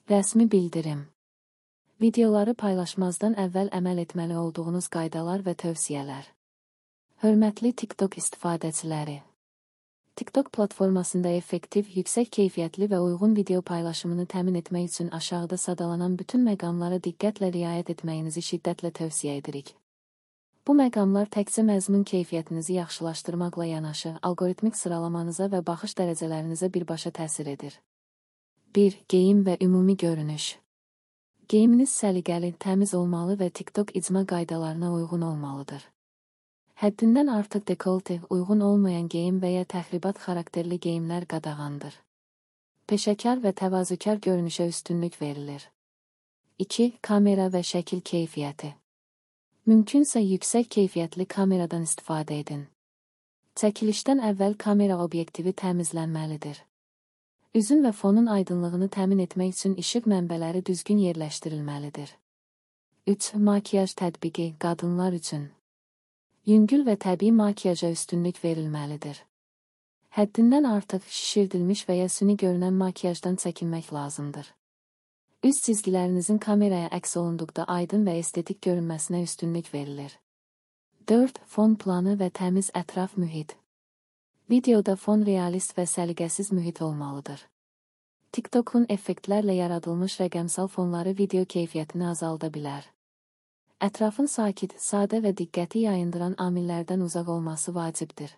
Rəsmi bildirim. Videoları paylaşmazdan əvvəl əməl etməli olduğunuz qaydalar və tövsiyələr. Hörmətli TikTok istifadəçiləri. TikTok platformasında effektiv, yüksək keyfiyyətli və uyğun video paylaşımını təmin etmək üçün aşağıda sadalanan bütün məqamlara diqqətlə riayət etməyinizi şiddətlə tövsiyə edirik. Bu məqamlar təkcə məzmun keyfiyyətinizi yaxşılaşdırmaqla yanaşı, alqoritmik sıralamanıza və baxış dərəcələrinizə birbaşa təsir edir. 1. Geyim və ümumi görünüş. Geyiminiz səliqəli, təmiz olmalı və TikTok icma qaydalarına uyğun olmalıdır. Həddindən artıq dekolte, uyğun olmayan geyim və ya təxribat xarakterli geyimlər qadağandır. Peşəkar və təvazökar görünüşə üstünlük verilir. 2. Kamera və şəkil keyfiyyəti. Mümkünsə yüksək keyfiyyətli kameradan istifadə edin. Çəkilişdən əvvəl kamera obyektivi təmizlənməlidir. Üzün və fonun aydınlığını təmin etmək üçün işıq mənbələri düzgün yerləşdirilməlidir. 3. Makiyaj tətbiqi qadınlar üçün. Yüngül və təbii makiyaja üstünlük verilməlidir. Həddindən artıq şişirdilmiş və ya süni görünən makiyajdan çəkinmək lazımdır. Üz çizgilərinizin kameraya əks olunduqda aydın və estetik görünməsinə üstünlük verilir. 4. Fon planı və təmiz ətraf mühit. Videoda fon realist və səliqəsiz mühit olmalıdır. TikTok'un effektlərlə yaradılmış rəqəmsal fonları video keyfiyyətini azalda bilər. Ətrafın sakit, sadə və diqqəti yayındıran amillərdən uzaq olması vacibdir.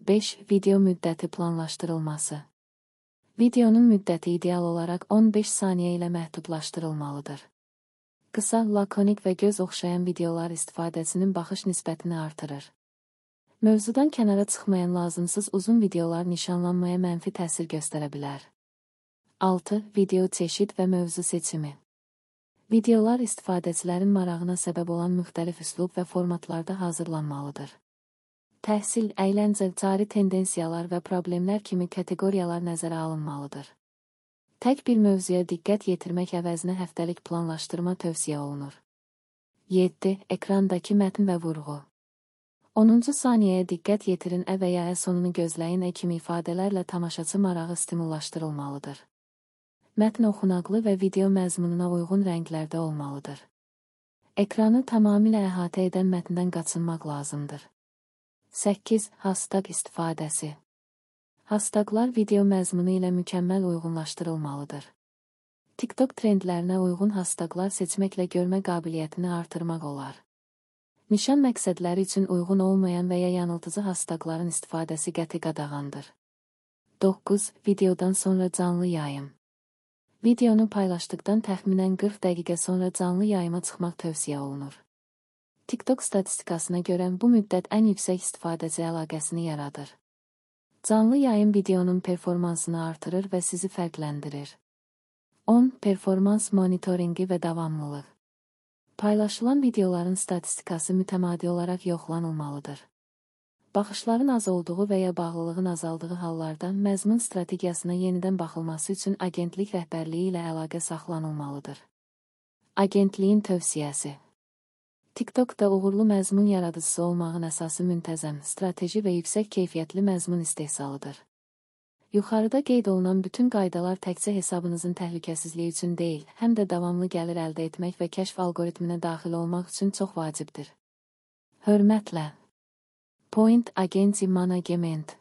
5. Video müddəti planlaşdırılması. Videonun müddəti ideal olaraq 15 saniyə ilə məhdudlaşdırılmalıdır. Qısa, lakonik və göz oxşayan videolar istifadəçinin baxış nisbətini artırır. Mövzudan kənara çıxmayan lazımsız uzun videolar nişanlanmaya mənfi təsir göstərə bilər. 6. Video çeşid və mövzu seçimi. Videolar istifadəçilərin marağına səbəb olan müxtəlif üslub və formatlarda hazırlanmalıdır. Təhsil, əyləncə, cari tendensiyalar və problemlər kimi kateqoriyalar nəzərə alınmalıdır. Tək bir mövzuya diqqət yetirmək əvəzinə həftəlik planlaşdırma tövsiyə olunur. 7. Ekrandakı mətn və vurğu. 10-cu saniyəyə diqqət yetirin və ya sonunu gözləyin kimi ifadələrlə tamaşaçı marağı stimullaşdırılmalıdır. Mətn oxunaqlı və video məzmununa uyğun rənglərdə olmalıdır. Ekranı tamamilə əhatə edən mətndən qaçınmaq lazımdır. 8. Hashtag istifadəsi. Hashtaglar video məzmunu ilə mükəmməl uyğunlaşdırılmalıdır. TikTok trendlərinə uyğun hashtaglar seçməklə görmə qabiliyyətini artırmaq olar. Nişan məqsədləri üçün uyğun olmayan və ya yanıltıcı hashtagların istifadəsi qəti qadağandır. 9. Videodan sonra canlı yayım. Videonu paylaşdıqdan təxminən 40 dəqiqə sonra canlı yayıma çıxmaq tövsiyə olunur. TikTok statistikasına görə bu müddət ən yüksək istifadəçi əlaqəsini yaradır. Canlı yayım videonun performansını artırır və sizi fərqləndirir. 10. Performans monitoringi və davamlılıq. Paylaşılan videoların statistikası mütəmadi olaraq yoxlanılmalıdır. Baxışların az olduğu və ya bağlılığın azaldığı hallarda məzmun strategiyasına yenidən baxılması üçün agentlik rəhbərliyi ilə əlaqə saxlanılmalıdır. Agentliyin tövsiyəsi. TikTokda uğurlu məzmun yaradıcısı olmağın əsası müntəzəm, strateji və yüksək keyfiyyətli məzmun istehsalıdır. Yuxarıda qeyd olunan bütün qaydalar təkcə hesabınızın təhlükəsizliyi üçün deyil, həm də davamlı gəlir əldə etmək və kəşf alqoritminə daxil olmaq üçün çox vacibdir. Hörmətlə. Point Agency Management.